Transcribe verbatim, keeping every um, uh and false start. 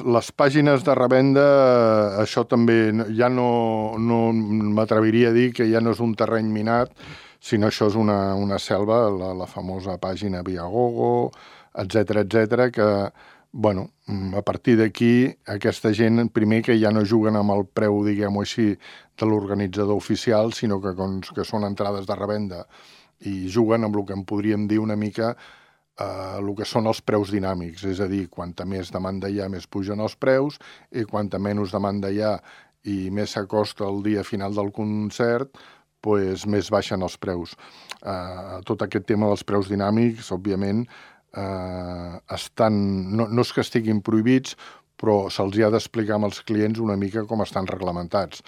Les pàgines de revenda, això també ja no, no m'atreviria a dir que ja no és un terreny minat, sinó això és una, una selva, la, la famosa pàgina Viagogo, etcètera, etcètera, que, bueno, a partir d'aquí, aquesta gent, primer que ja no juguen amb el preu, diguem-ho així, de l'organitzador oficial, sinó que, que són entrades de revenda i juguen amb el que en podríem dir una mica Uh, el que són els preus dinàmics, és a dir, quanta més demanda hi ha, més pugen els preus, i quanta menys demanda hi ha i més s'acosta el dia final del concert, pues, més baixen els preus. Uh, tot aquest tema dels preus dinàmics, òbviament, uh, estan, no, no és que estiguin prohibits, però se'ls ha d'explicar amb els clients una mica com estan reglamentats.